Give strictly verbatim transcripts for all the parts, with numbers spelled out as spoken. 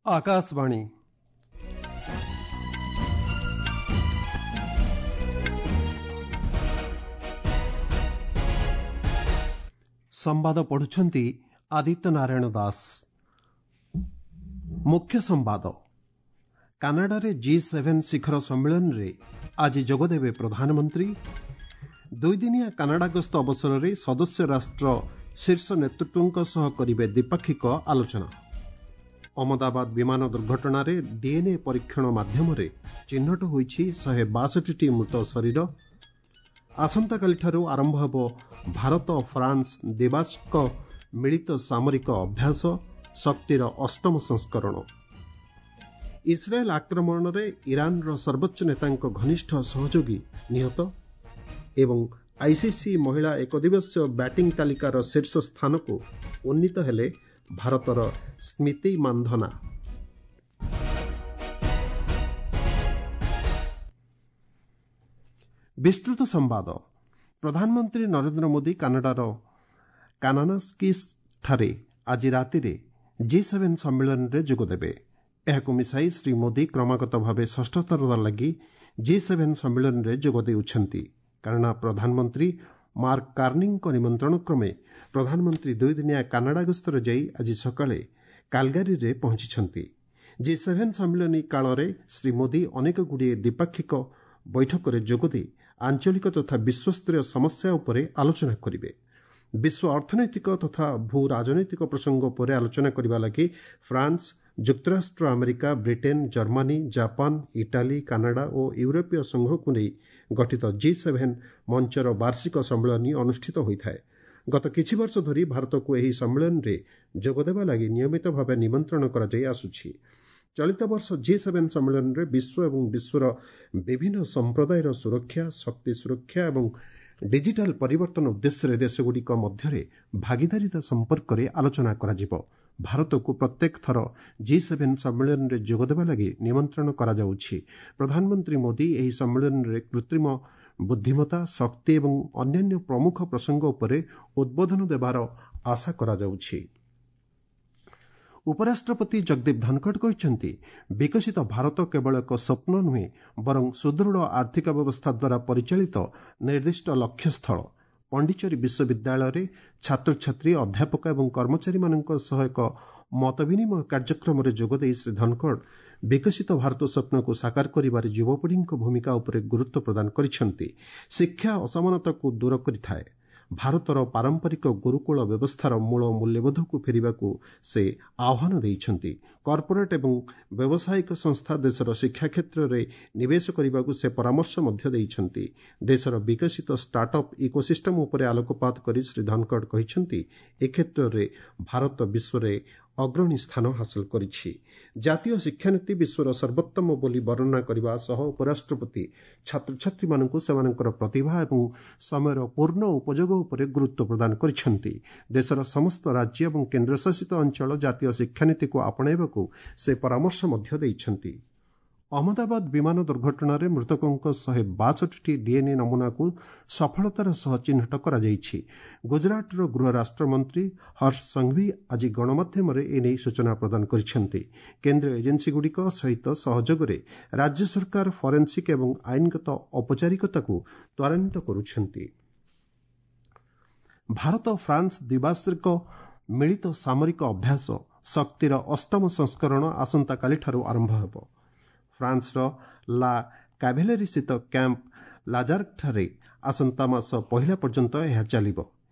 ଆକାଶବାଣୀ ସମ୍ବାଦ ପଢୁଛନ୍ତି ଆଦିତ୍ୟ ନାରାୟଣ ଦାସ ମୁଖ୍ୟ ସମ୍ବାଦ କାନାଡାରେ ଜି ସେଭେନ୍ ଶିଖର ସମ୍ମିଳନୀରେ ଆଜି ଯୋଗଦେବେ ପ୍ରଧାନମନ୍ତ୍ରୀ ଦୁଇଦିନିଆ କାନାଡା ଗସ୍ତ ଅବସରରେ ସଦସ୍ୟ ରାଷ୍ଟ୍ର ଶୀର୍ଷ ନେତୃତ୍ୱଙ୍କ ସହ କରିବେ ଦ୍ୱିପାକ୍ଷିକ ଆଲୋଚନା ଅହମ୍ମଦାବାଦ ବିମାନ ଦୁର୍ଘଟଣାରେ ଡିଏନ୍ଏ ପରୀକ୍ଷଣ ମାଧ୍ୟମରେ ଚିହ୍ନଟ ହୋଇଛି ଶହେ ବାଷଠିଟି ମୃତ ଶରୀର ଆସନ୍ତାକାଲିଠାରୁ ଆରମ୍ଭ ହେବ ଭାରତ ଫ୍ରାନ୍ସ ଦ୍ୱିବାର୍ଷିକ ମିଳିତ ସାମରିକ ଅଭ୍ୟାସ ଶକ୍ତିର ଅଷ୍ଟମ ସଂସ୍କରଣ ଇସ୍ରାଏଲ୍ ଆକ୍ରମଣରେ ଇରାନର ସର୍ବୋଚ୍ଚ ନେତାଙ୍କ ଘନିଷ୍ଠ ସହଯୋଗୀ ନିହତ ଏବଂ ଆଇସିସି ମହିଳା ଏକଦିବସୀୟ ବ୍ୟାଟିଂ ତାଲିକାର ଶୀର୍ଷ ସ୍ଥାନକୁ ଉନ୍ନୀତ ହେଲେ ଭାରତର ସ୍ମୃତି ମାନ୍ଧନା ବିସ୍ତୃତ ସମ୍ବାଦ ପ୍ରଧାନମନ୍ତ୍ରୀ ନରେନ୍ଦ୍ର ମୋଦି କାନାଡାର କାନାନାସ୍କିସ୍ଠାରେ ଆଜି ରାତିରେ ଜି ସେଭେନ୍ ସମ୍ମିଳନୀରେ ଯୋଗଦେବେ ଏହାକୁ ମିଶାଇ ଶ୍ରୀ ମୋଦି କ୍ରମାଗତ ଭାବେ ଷଷ୍ଠଥର ଲାଗି ଜି ସେଭେନ୍ ସମ୍ମିଳନୀରେ ଯୋଗ ଦେଉଛନ୍ତି କାରଣ ପ୍ରଧାନମନ୍ତ୍ରୀ ମାର୍କ କାର୍ନିଙ୍କ ନିମନ୍ତ୍ରଣ କ୍ରମେ ପ୍ରଧାନମନ୍ତ୍ରୀ ଦୁଇଦିନିଆ କାନାଡା ଗସ୍ତରେ ଯାଇ ଆଜି ସକାଳେ କାଲଗାରୀରେ ପହଞ୍ଚିଛନ୍ତି ଜି ସେଭେନ୍ ସମ୍ମିଳନୀ କାଳରେ ଶ୍ରୀ ମୋଦି ଅନେକଗୁଡ଼ିଏ ଦ୍ୱିପାକ୍ଷିକ ବୈଠକରେ ଯୋଗଦେଇ ଆଞ୍ଚଳିକ ତଥା ବିଶ୍ୱସ୍ତରୀୟ ସମସ୍ୟା ଉପରେ ଆଲୋଚନା କରିବେ ବିଶ୍ୱ ଅର୍ଥନୈତିକ ତଥା ଭୂ ରାଜନୈତିକ ପ୍ରସଙ୍ଗ ଉପରେ ଆଲୋଚନା କରିବା ଲାଗି ଫ୍ରାନ୍ସ ଯୁକ୍ତରାଷ୍ଟ୍ର America Britain Germany Japan Italy Canada ଓ ୟୁରୋପୀୟ ସଂଘକୁ ନେଇ ଗଠିତ ଜି ସେଭେନ୍ ମଞ୍ଚର ବାର୍ଷିକ ସମ୍ମିଳନୀ ଅନୁଷ୍ଠିତ ହୋଇଥାଏ ଗତ କିଛି ବର୍ଷ ଧରି ଭାରତକୁ ଏହି ସମ୍ମିଳନୀରେ ଯୋଗଦେବା ଲାଗି ନିୟମିତ ଭାବେ ନିମନ୍ତ୍ରଣ କରାଯାଇ ଆସୁଛି ଚଳିତ ବର୍ଷ ଜି ସେଭେନ୍ ସମ୍ମିଳନୀରେ ବିଶ୍ୱ ଏବଂ ବିଶ୍ୱର ବିଭିନ୍ନ ସମ୍ପ୍ରଦାୟର ସୁରକ୍ଷା ଶକ୍ତି ସୁରକ୍ଷା ଏବଂ ଡିଜିଟାଲ ପରିବର୍ତ୍ତନ ଉଦ୍ଦେଶ୍ୟରେ ଦେଶଗୁଡ଼ିକ ମଧ୍ୟରେ ଭାଗିଦାରିତା ସମ୍ପର୍କରେ ଆଲୋଚନା କରାଯିବ ଭାରତକୁ ପ୍ରତ୍ୟେକ ଥର ଜି ସେଭେନ୍ ସମ୍ମିଳନୀରେ ଯୋଗଦେବା ଲାଗି ନିମନ୍ତ୍ରଣ କରାଯାଉଛି ପ୍ରଧାନମନ୍ତ୍ରୀ ମୋଦି ଏହି ସମ୍ମିଳନୀରେ କୃତ୍ରିମ ବୁଦ୍ଧିମତ୍ତା ଶକ୍ତି ଏବଂ ଅନ୍ୟାନ୍ୟ ପ୍ରମୁଖ ପ୍ରସଙ୍ଗ ଉପରେ ଉଦ୍ବୋଧନ ଦେବାର ଆଶା କରାଯାଉଛି ଉପରାଷ୍ଟ୍ରପତି ଜଗଦୀପ ଧନଖଡ଼ କହିଛନ୍ତି ବିକଶିତ ଭାରତ କେବଳ ଏକ ସ୍ୱପ୍ନ ନୁହେଁ ବରଂ ସୁଦୃଢ଼ ଆର୍ଥିକ ବ୍ୟବସ୍ଥା ଦ୍ୱାରା ପରିଚାଳିତ ନିର୍ଦ୍ଦିଷ୍ଟ ଲକ୍ଷ୍ୟସ୍ଥଳ ପଣ୍ଡିଚେରୀ ବିଶ୍ୱବିଦ୍ୟାଳୟରେ ଛାତ୍ରଛାତ୍ରୀ ଅଧ୍ୟାପକ ଏବଂ କର୍ମଚାରୀମାନଙ୍କ ସହ ଏକ ମତବିନିମୟ କାର୍ଯ୍ୟକ୍ରମରେ ଯୋଗଦେଇ ଶ୍ରୀ ଧନଖଡ଼ ବିକଶିତ ଭାରତ ସ୍ୱପ୍ନକୁ ସାକାର କରିବାରେ ଯୁବପିଢ଼ିଙ୍କ ଭୂମିକା ଉପରେ ଗୁରୁତ୍ୱ ପ୍ରଦାନ କରିଛନ୍ତି ଶିକ୍ଷା ଅସମାନତାକୁ ଦୂର କରିଥାଏ ଭାରତର ପାରମ୍ପରିକ ଗୁରୁକୁଳ ବ୍ୟବସ୍ଥାର ମୂଳ ମୂଲ୍ୟବୋଧକୁ ଫେରିବାକୁ ସେ ଆହ୍ୱାନ ଦେଇଛନ୍ତି କର୍ପୋରେଟ୍ ଏବଂ ବ୍ୟବସାୟିକ ସଂସ୍ଥା ଦେଶର ଶିକ୍ଷା କ୍ଷେତ୍ରରେ ନିବେଶ କରିବାକୁ ସେ ପରାମର୍ଶ ମଧ୍ୟ ଦେଇଛନ୍ତି ଦେଶର ବିକଶିତ ଷ୍ଟାର୍ଟଅପ୍ ଇକୋସିଷ୍ଟମ୍ ଉପରେ ଆଲୋକପାତ କରି ଶ୍ରୀ ଧନଖଡ଼ କହିଛନ୍ତି ଏ କ୍ଷେତ୍ରରେ ଭାରତ ବିଶ୍ୱରେ ଅଗ୍ରଣୀ ସ୍ଥାନ ହାସଲ କରିଛି ଜାତୀୟ ଶିକ୍ଷାନୀତି ବିଶ୍ୱର ସର୍ବୋତ୍ତମ ବୋଲି ବର୍ଣ୍ଣନା କରିବା ସହ ଉପରାଷ୍ଟ୍ରପତି ଛାତ୍ରଛାତ୍ରୀମାନଙ୍କୁ ସେମାନଙ୍କର ପ୍ରତିଭା ଏବଂ ସମୟର ପୂର୍ଣ୍ଣ ଉପଯୋଗ ଉପରେ ଗୁରୁତ୍ୱ ପ୍ରଦାନ କରିଛନ୍ତି ଦେଶର ସମସ୍ତ ରାଜ୍ୟ ଏବଂ କେନ୍ଦ୍ରଶାସିତ ଅଞ୍ଚଳ ଜାତୀୟ ଶିକ୍ଷାନୀତିକୁ ଆପଣେଇବାକୁ ସେ ପରାମର୍ଶ ମଧ୍ୟ ଦେଇଛନ୍ତି ଅହମ୍ମଦାବାଦ ବିମାନ ଦୁର୍ଘଟଣାରେ ମୃତକଙ୍କ ଶହେ ବାଷଠିଟି ଡିଏନ୍ଏ ନମୁନାକୁ ସଫଳତାର ସହ ଚିହ୍ନଟ କରାଯାଇଛି ଗୁଜରାଟର ଗୃହ ରାଷ୍ଟ୍ରମନ୍ତ୍ରୀ ହର୍ଷ ସଂଘଭି ଆଜି ଗଣମାଧ୍ୟମରେ ଏନେଇ ସୂଚନା ପ୍ରଦାନ କରିଛନ୍ତି କେନ୍ଦ୍ରୀୟ ଏଜେନ୍ସିଗୁଡ଼ିକ ସହିତ ସହଯୋଗରେ ରାଜ୍ୟ ସରକାର ଫରେନ୍ସିକ୍ ଏବଂ ଆଇନଗତ ଔପଚାରିକତାକୁ ତ୍ୱରାନ୍ୱିତ କରୁଛନ୍ତି ଭାରତ ଫ୍ରାନ୍ସ ଦ୍ୱିବାର୍ଷିକ ମିଳିତ ସାମରିକ ଅଭ୍ୟାସ ଶକ୍ତିର ଅଷ୍ଟମ ସଂସ୍କରଣ ଆସନ୍ତାକାଲିଠାରୁ ଆରମ୍ଭ ହେବ ଫ୍ରାନ୍ସର ଲା କାଭେଲେରୀସ୍ଥିତ କ୍ୟାମ୍ପ ଲାଜାର୍କଠାରେ ଆସନ୍ତା ମାସ ପହିଲା ପର୍ଯ୍ୟନ୍ତ ଏହା ଚାଲିବ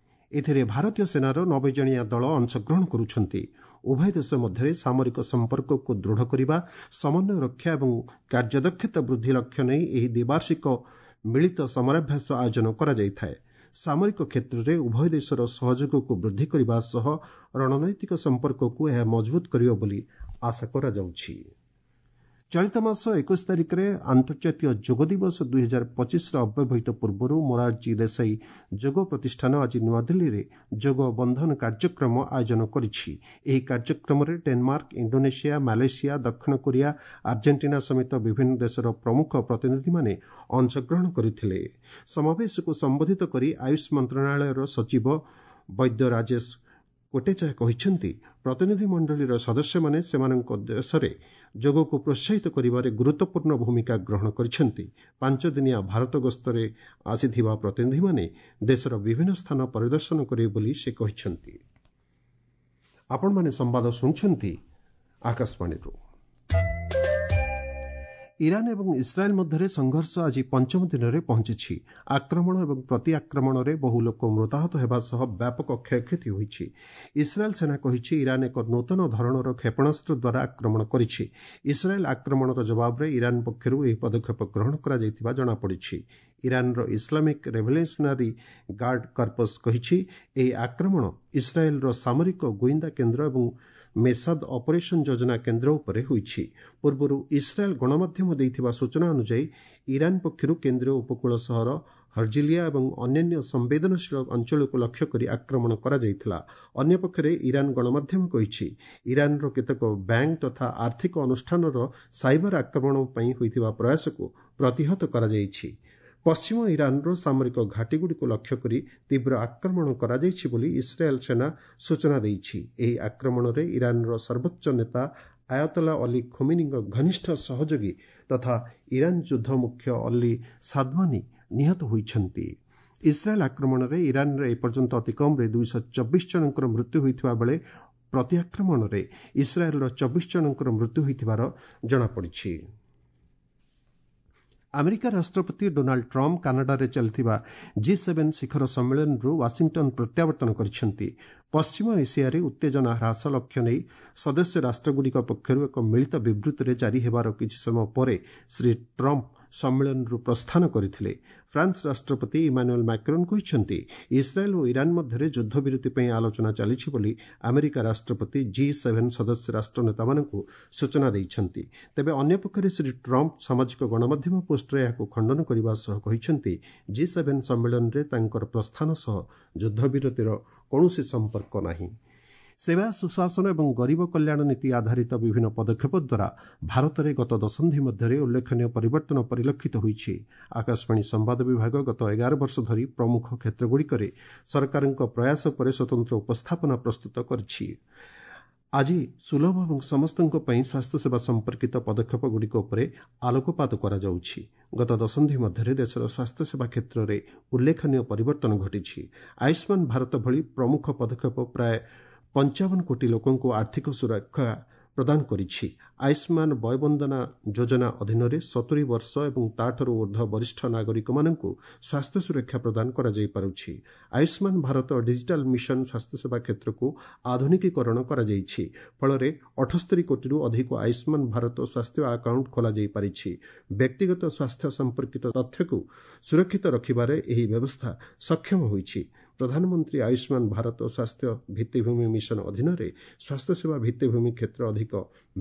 ଏଥିରେ ଭାରତୀୟ ସେନାର ନବେ ଜଣିଆ ଦଳ ଅଂଶଗ୍ରହଣ କରୁଛନ୍ତି ଉଭୟ ଦେଶ ମଧ୍ୟରେ ସାମରିକ ସମ୍ପର୍କକୁ ଦୃଢ଼ କରିବା ସମନ୍ୱୟ ରକ୍ଷା ଏବଂ କାର୍ଯ୍ୟଦକ୍ଷତା ବୃଦ୍ଧି ଲକ୍ଷ୍ୟ ନେଇ ଏହି ଦ୍ୱିବାର୍ଷିକ ମିଳିତ ସମରାଭ୍ୟାସ ଆୟୋଜନ କରାଯାଇଥାଏ ସାମରିକ କ୍ଷେତ୍ରରେ ଉଭୟ ଦେଶର ସହଯୋଗକୁ ବୃଦ୍ଧି କରିବା ସହ ରଣନୈତିକ ସମ୍ପର୍କକୁ ଏହା ମଜବୁତ କରିବ ବୋଲି ଆଶା କରାଯାଉଛି ଚଳିତ ମାସ ଏକୋଇଶ ତାରିଖରେ ଆନ୍ତର୍ଜାତୀୟ ଯୋଗ ଦିବସ ଦୁଇହଜାର ପଚିଶର ଅବ୍ୟବହିତ ପୂର୍ବରୁ ମୋରାରଜୀ ଦେଶାଇ ଯୋଗ ପ୍ରତିଷ୍ଠାନ ଆଜି ନୂଆଦିଲ୍ଲୀରେ ଯୋଗ ବନ୍ଧନ କାର୍ଯ୍ୟକ୍ରମ ଆୟୋଜନ କରିଛି ଏହି କାର୍ଯ୍ୟକ୍ରମରେ ଡେନମାର୍କ ଇଣ୍ଡୋନେସିଆ ମାଲେସିଆ ଦକ୍ଷିଣ କୋରିଆ ଆର୍ଜେଣ୍ଟିନା ସମେତ ବିଭିନ୍ନ ଦେଶର ପ୍ରମୁଖ ପ୍ରତିନିଧିମାନେ ଅଂଶଗ୍ରହଣ କରିଥିଲେ ସମାବେଶକୁ ସମ୍ବୋଧିତ କରି ଆୟୁଷ ମନ୍ତ୍ରଣାଳୟର ସଚିବ ବୈଦ୍ୟ ରାଜେଶ କୋଟେଚା କହିଛନ୍ତି, ପ୍ରତିନିଧିମଣ୍ଡଳୀର ସଦସ୍ୟମାନେ ସେମାନଙ୍କ ଦେଶରେ ଯୋଗକୁ ପ୍ରୋତ୍ସାହିତ କରିବାରେ ଗୁରୁତ୍ୱପୂର୍ଣ୍ଣ ଭୂମିକା ଗ୍ରହଣ କରିଛନ୍ତି। ପାଞ୍ଚଦିନିଆ ଭାରତ ଗସ୍ତରେ ଆସିଥିବା ପ୍ରତିନିଧିମାନେ ଦେଶର ବିଭିନ୍ନ ସ୍ଥାନ ପରିଦର୍ଶନ କରିବେ ବୋଲି ସେ କହିଛନ୍ତି। ଆପଣମାନେ ସମ୍ବାଦ ଶୁଣୁଛନ୍ତି ଆକାଶବାଣୀରୁ। ଇରାନ ଏବଂ ଇସ୍ରାଏଲ୍ ମଧ୍ୟରେ ସଂଘର୍ଷ ଆଜି ପଞ୍ଚମ ଦିନରେ ପହଞ୍ଚିଛି। ଆକ୍ରମଣ ଏବଂ ପ୍ରତିଆକ୍ରମଣରେ ବହୁ ଲୋକ ମୃତାହତ ହେବା ସହ ବ୍ୟାପକ କ୍ଷୟକ୍ଷତି ହୋଇଛି। ଇସ୍ରାଏଲ୍ ସେନା କହିଛି, ଇରାନ ଏକ ନୂତନ ଧରଣର କ୍ଷେପଣାସ୍ତ୍ର ଦ୍ୱାରା ଆକ୍ରମଣ କରିଛି। ଇସ୍ରାଏଲ୍ ଆକ୍ରମଣର ଜବାବରେ ଇରାନ ପକ୍ଷରୁ ଏହି ପଦକ୍ଷେପ ଗ୍ରହଣ କରାଯାଇଥିବା ଜଣାପଡ଼ିଛି। ଇରାନର ଇସଲାମିକ୍ ରେଭଲ୍ୟୁସନାରୀ ଗାର୍ଡ କର୍ପସ୍ କହିଛି, ଏହି ଆକ୍ରମଣ ଇସ୍ରାଏଲ୍ର ସାମରିକ ଗୁଇନ୍ଦା କେନ୍ଦ୍ର ଏବଂ ମେସାଦ ଅପରେସନ୍ ଯୋଜନା କେନ୍ଦ୍ର ଉପରେ ହୋଇଛି। ପୂର୍ବରୁ ଇସ୍ରାଏଲ୍ ଗଣମାଧ୍ୟମ ଦେଇଥିବା ସୂଚନା ଅନୁଯାୟୀ ଇରାନ ପକ୍ଷରୁ କେନ୍ଦ୍ରୀୟ ଉପକୂଳ ସହର ହର୍ଜିଲିଆ ଏବଂ ଅନ୍ୟାନ୍ୟ ସମ୍ବେଦନଶୀଳ ଅଞ୍ଚଳକୁ ଲକ୍ଷ୍ୟ କରି ଆକ୍ରମଣ କରାଯାଇଥିଲା। ଅନ୍ୟପକ୍ଷରେ ଇରାନ ଗଣମାଧ୍ୟମ କହିଛି, ଇରାନର କେତେକ ବ୍ୟାଙ୍କ ତଥା ଆର୍ଥିକ ଅନୁଷ୍ଠାନର ସାଇବର ଆକ୍ରମଣ ପାଇଁ ହୋଇଥିବା ପ୍ରୟାସକୁ ପ୍ରତିହତ କରାଯାଇଛି। ପଶ୍ଚିମ ଇରାନର ସାମରିକ ଘାଟିଗୁଡ଼ିକୁ ଲକ୍ଷ୍ୟ କରି ତୀବ୍ର ଆକ୍ରମଣ କରାଯାଇଛି ବୋଲି ଇସ୍ରାଏଲ୍ ସେନା ସୂଚନା ଦେଇଛି। ଏହି ଆକ୍ରମଣରେ ଇରାନର ସର୍ବୋଚ୍ଚ ନେତା ଆୟତଲା ଅଲି ଖୋମିନିଙ୍କ ଘନିଷ୍ଠ ସହଯୋଗୀ ତଥା ଇରାନ ଯୁଦ୍ଧ ମୁଖ୍ୟ ଅଲି ସାଦମାନି ନିହତ ହୋଇଛନ୍ତି। ଇସ୍ରାଏଲ୍ ଆକ୍ରମଣରେ ଇରାନରେ ଏପର୍ଯ୍ୟନ୍ତ ଅତି କମ୍ରେ ଦୁଇଶହ ଚବିଶ ଜଣଙ୍କର ମୃତ୍ୟୁ ହୋଇଥିବା ବେଳେ ପ୍ରତିଆକ୍ରମଣରେ ଇସ୍ରାଏଲ୍ର ଚବିଶ ଜଣଙ୍କର ମୃତ୍ୟୁ ହୋଇଥିବାର ଜଣାପଡ଼ିଛି। ଆମେରିକା ରାଷ୍ଟ୍ରପତି ଡୋନାଲ୍ଡ ଟ୍ରମ୍ପ କାନାଡାରେ ଚାଲିଥିବା ଜି ସେଭେନ୍ ଶିଖର ସମ୍ମିଳନୀରୁ ୱାଶିଂଟନ୍ ପ୍ରତ୍ୟାବର୍ତ୍ତନ କରିଛନ୍ତି। ପଶ୍ଚିମ ଏସିଆରେ ଉତ୍ତେଜନା ହ୍ରାସ ଲକ୍ଷ୍ୟ ନେଇ ସଦସ୍ୟ ରାଷ୍ଟ୍ରଗୁଡ଼ିକ ପକ୍ଷରୁ ଏକ ମିଳିତ ବିବୃତ୍ତିରେ ଜାରି ହେବାର କିଛି ସମୟ ପରେ ଶ୍ରୀ ଟ୍ରମ୍ପ ସମ୍ମିଳନୀରୁ ପ୍ରସ୍ଥାନ କରିଥିଲେ। ଫ୍ରାନ୍ସ ରାଷ୍ଟ୍ରପତି ଇମାନୁଏଲ୍ ମାକ୍ରୋନ୍ କହିଛନ୍ତି, ଇସ୍ରାଏଲ୍ ଓ ଇରାନ ମଧ୍ୟରେ ଯୁଦ୍ଧବିରତି ପାଇଁ ଆଲୋଚନା ଚାଲିଛି ବୋଲି ଆମେରିକା ରାଷ୍ଟ୍ରପତି ଜି ସେଭେନ୍ ସଦସ୍ୟ ରାଷ୍ଟ୍ର ନେତାମାନଙ୍କୁ ସୂଚନା ଦେଇଛନ୍ତି। ତେବେ ଅନ୍ୟପକ୍ଷରେ ଶ୍ରୀ ଟ୍ରମ୍ପ ସାମାଜିକ ଗଣମାଧ୍ୟମ ପୋଷ୍ଟରେ ଏହାକୁ ଖଣ୍ଡନ କରିବା ସହ କହିଛନ୍ତି, ଜି ସେଭେନ୍ ସମ୍ମିଳନୀରେ ତାଙ୍କର ପ୍ରସ୍ଥାନ ସହ ଯୁଦ୍ଧବିରତିର କୌଣସି ସମ୍ପର୍କ ନାହିଁ। ସେବା, ସୁଶାସନ ଏବଂ ଗରିବ କଲ୍ୟାଣ ନୀତି ଆଧାରିତ ବିଭିନ୍ନ ପଦକ୍ଷେପ ଦ୍ୱାରା ଭାରତରେ ଗତ ଦଶନ୍ଧି ମଧ୍ୟରେ ଉଲ୍ଲେଖନୀୟ ପରିବର୍ତ୍ତନ ପରିଲକ୍ଷିତ ହୋଇଛି। ଆକାଶବାଣୀ ସମ୍ବାଦ ବିଭାଗ ଗତ ଏଗାର ବର୍ଷ ଧରି ପ୍ରମୁଖ କ୍ଷେତ୍ରଗୁଡ଼ିକରେ ସରକାରଙ୍କ ପ୍ରୟାସ ଉପରେ ସ୍ୱତନ୍ତ୍ର ଉପସ୍ଥାପନା ପ୍ରସ୍ତୁତ କରିଛି। ଆଜି ସୁଲଭ ଏବଂ ସମସ୍ତଙ୍କ ପାଇଁ ସ୍ୱାସ୍ଥ୍ୟସେବା ସମ୍ପର୍କିତ ପଦକ୍ଷେପଗୁଡ଼ିକ ଉପରେ ଆଲୋକପାତ କରାଯାଉଛି। ଗତ ଦଶନ୍ଧି ମଧ୍ୟରେ ଦେଶର ସ୍ୱାସ୍ଥ୍ୟସେବା କ୍ଷେତ୍ରରେ ଉଲ୍ଲେଖନୀୟ ପରିବର୍ତ୍ତନ ଘଟିଛି। ଆୟୁଷ୍ମାନ ଭାରତ ଭଳି ପ୍ରମୁଖ ପଦକ୍ଷେପ ପ୍ରାୟ ପଞ୍ଚାବନ କୋଟି ଲୋକଙ୍କୁ ଆର୍ଥିକ ସୁରକ୍ଷା ପ୍ରଦାନ କରିଛି। ଆୟୁଷ୍ମାନ ବୟବନ୍ଦନା ଯୋଜନା ଅଧୀନରେ ସତୁରି ବର୍ଷ ଏବଂ ତାଠାରୁ ଉର୍ଦ୍ଧ୍ୱ ବରିଷ୍ଠ ନାଗରିକମାନଙ୍କୁ ସ୍ୱାସ୍ଥ୍ୟ ସୁରକ୍ଷା ପ୍ରଦାନ କରାଯାଇପାରୁଛି। ଆୟୁଷ୍ମାନ ଭାରତ ଡିଜିଟାଲ ମିଶନ ସ୍ୱାସ୍ଥ୍ୟସେବା କ୍ଷେତ୍ରକୁ ଆଧୁନିକୀକରଣ କରାଯାଇଛି। ଫଳରେ ଅଠସ୍ତରୀ କୋଟିରୁ ଅଧିକ ଆୟୁଷ୍ମାନ ଭାରତ ସ୍ୱାସ୍ଥ୍ୟ ଆକାଉଣ୍ଟ ଖୋଲାଯାଇପାରିଛି। ବ୍ୟକ୍ତିଗତ ସ୍ୱାସ୍ଥ୍ୟ ସମ୍ପର୍କିତ ତଥ୍ୟକୁ ସୁରକ୍ଷିତ ରଖିବାରେ ଏହି ବ୍ୟବସ୍ଥା ସକ୍ଷମ ହୋଇଛି। ପ୍ରଧାନମନ୍ତ୍ରୀ ଆୟୁଷ୍ମାନ ଭାରତ ସ୍ୱାସ୍ଥ୍ୟ ଭିତ୍ତିଭୂମି ମିଶନ ଅଧୀନରେ ସ୍ୱାସ୍ଥ୍ୟସେବା ଭିତ୍ତିଭୂମି କ୍ଷେତ୍ର ଅଧିକ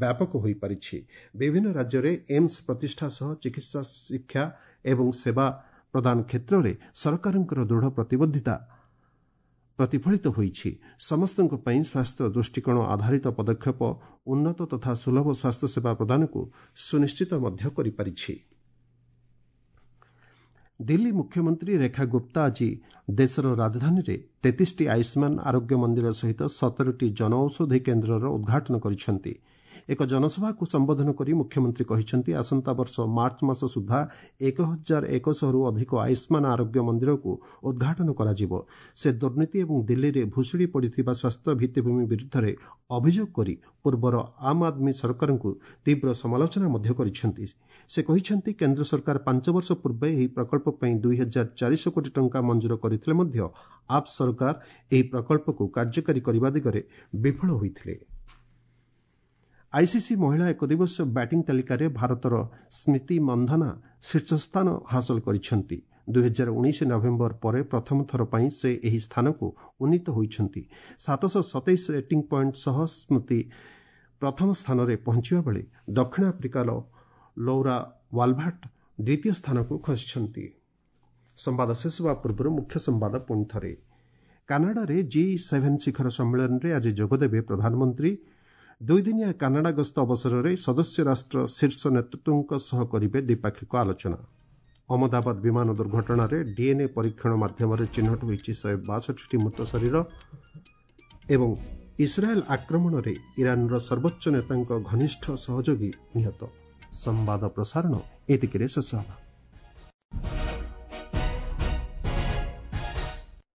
ବ୍ୟାପକ ହୋଇପାରିଛି। ବିଭିନ୍ନ ରାଜ୍ୟରେ ଏମ୍ସ ପ୍ରତିଷ୍ଠା ସହ ଚିକିତ୍ସା, ଶିକ୍ଷା ଏବଂ ସେବା ପ୍ରଦାନ କ୍ଷେତ୍ରରେ ସରକାରଙ୍କର ଦୃଢ଼ ପ୍ରତିବଦ୍ଧତା ପ୍ରତିଫଳିତ ହୋଇଛି। ସମସ୍ତଙ୍କ ପାଇଁ ସ୍ୱାସ୍ଥ୍ୟ ଦୃଷ୍ଟିକୋଣ ଆଧାରିତ ପଦକ୍ଷେପ ଉନ୍ନତ ତଥା ସୁଲଭ ସ୍ୱାସ୍ଥ୍ୟସେବା ପ୍ରଦାନକୁ ସୁନିଶ୍ଚିତ ମଧ୍ୟ କରିପାରିଛି। ଦିଲ୍ଲୀ ମୁଖ୍ୟମନ୍ତ୍ରୀ ରେଖା ଗୁପ୍ତା ଆଜି ଦେଶର ରାଜଧାନୀରେ ତେତିଶଟି ଆୟୁଷ୍ମାନ ଆରୋଗ୍ୟ ମନ୍ଦିର ସହିତ ସତରଟି ଜନଔଷଧି କେନ୍ଦ୍ରର ଉଦ୍ଘାଟନ କରିଛନ୍ତି। ଏକ ଜନସଭାକୁ ସମ୍ବୋଧନ କରି ମୁଖ୍ୟମନ୍ତ୍ରୀ କହିଛନ୍ତି, ଆସନ୍ତା ବର୍ଷ ମାର୍ଚ୍ଚ ମାସ ସୁଦ୍ଧା ଏକ ହଜାର ଏକଶହରୁ ଅଧିକ ଆୟୁଷ୍ମାନ ଆରୋଗ୍ୟ ମନ୍ଦିରକୁ ଉଦ୍ଘାଟନ କରାଯିବ। ସେ ଦୁର୍ନୀତି ଏବଂ ଦିଲ୍ଲୀରେ ଭୁଶୁଡ଼ି ପଡ଼ିଥିବା ସ୍ୱାସ୍ଥ୍ୟ ଭିତ୍ତିଭୂମି ବିରୁଦ୍ଧରେ ଅଭିଯୋଗ କରି ପୂର୍ବର ଆମ୍ ଆଦମୀ ସରକାରଙ୍କୁ ତୀବ୍ର ସମାଲୋଚନା ମଧ୍ୟ କରିଛନ୍ତି। ସେ କହିଛନ୍ତି, କେନ୍ଦ୍ର ସରକାର ପାଞ୍ଚ ବର୍ଷ ପୂର୍ବେ ଏହି ପ୍ରକଳ୍ପ ପାଇଁ ଦୁଇ ହଜାର ଚାରିଶହ କୋଟି ଟଙ୍କା ମଞ୍ଜୁର କରିଥିଲେ ମଧ୍ୟ ଆପ୍ ସରକାର ଏହି ପ୍ରକଳ୍ପକୁ କାର୍ଯ୍ୟକାରୀ କରିବା ଦିଗରେ ବିଫଳ ହୋଇଥିଲେ। ଆଇସିସି ମହିଳା ଏକଦିବସୀୟ ବ୍ୟାଟିଂ ତାଲିକାରେ ଭାରତର ସ୍ମୃତି ମନ୍ଧନା ଶୀର୍ଷସ୍ଥାନ ହାସଲ କରିଛନ୍ତି। ଦୁଇହଜାର ଉଣେଇଶ ନଭେମ୍ବର ପରେ ପ୍ରଥମ ଥର ପାଇଁ ସେ ଏହି ସ୍ଥାନକୁ ଉନ୍ନୀତ ହୋଇଛନ୍ତି। ସାତଶହ ସତେଇଶ ରେଟିଂ ପଏଣ୍ଟ ସହ ସ୍ମୃତି ପ୍ରଥମ ସ୍ଥାନରେ ପହଞ୍ଚିବା ବେଳେ ଦକ୍ଷିଣ ଆଫ୍ରିକାର ଲୌରା ୱାଲଭାର୍ଟ ଦ୍ୱିତୀୟ ସ୍ଥାନକୁ ଖସିଛନ୍ତି। ସମ୍ବାଦ ଶେଷ ହେବା ପୂର୍ବରୁ ମୁଖ୍ୟ ସମ୍ବାଦ ପୁଣି ଥରେ। କାନାଡାରେ ଜି ସେଭେନ୍ ଶିଖର ସମ୍ମିଳନୀରେ ଆଜି ଯୋଗଦେବେ ପ୍ରଧାନମନ୍ତ୍ରୀ। ଦୁଇଦିନିଆ କାନାଡା ଗସ୍ତ ଅବସରରେ ସଦସ୍ୟ ରାଷ୍ଟ୍ର ଶୀର୍ଷ ନେତୃତ୍ୱଙ୍କ ସହ କରିବେ ଦ୍ୱିପାକ୍ଷିକ ଆଲୋଚନା। ଅହମ୍ମଦାବାଦ ବିମାନ ଦୁର୍ଘଟଣାରେ ଡିଏନ୍ଏ ପରୀକ୍ଷଣ ମାଧ୍ୟମରେ ଚିହ୍ନଟ ହୋଇଛି ଶହେ ବାଷଠିଟି ମୃତ ଶରୀର। ଏବଂ ଇସ୍ରାଏଲ୍ ଆକ୍ରମଣରେ ଇରାନର ସର୍ବୋଚ୍ଚ ନେତାଙ୍କ ଘନିଷ୍ଠ ସହଯୋଗୀ ନିହତ। ସମ୍ବାଦ ପ୍ରସାରଣ ଏତିକିରେ ଶେଷ ହେଲା।